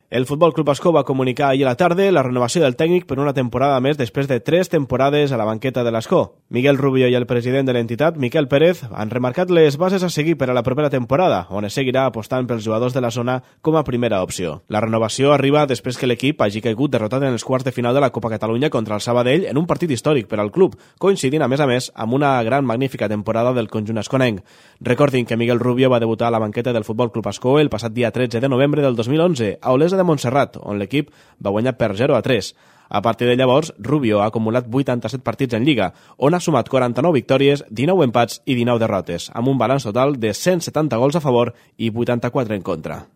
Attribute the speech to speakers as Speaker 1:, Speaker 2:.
Speaker 1: El Futbol Club Ascó va comunicar ahir a la tarda la renovació del tècnic per una temporada més després de 3 temporades a la banqueta de l'Ascó. Miguel Rubio i el president de l'entitat, Miquel Pérez, han remarcat les bases a seguir per a la propera temporada, on es seguirà apostant pels jugadors de la zona com a primera opció. La renovació arriba després que l'equip hagi caigut derrotat en els quarts de final de la Copa Catalunya contra el Sabadell en un partit històric per al club, coincidint a més amb una magnífica temporada del conjunt asconenc. Recordin que Miguel Rubio va debutar a la banqueta del Futbol Club Ascó el passat dia 13 de novembre del 2011 a Olesa de Montserrat, on l'equip va guanyar per 0-3. A partir de llavors, Rubio ha acumulat 87 partits en Lliga, on ha sumat 49 victòries, 19 empats i 19 derrotes, amb un balanç total de 170 gols a favor i 84 en contra.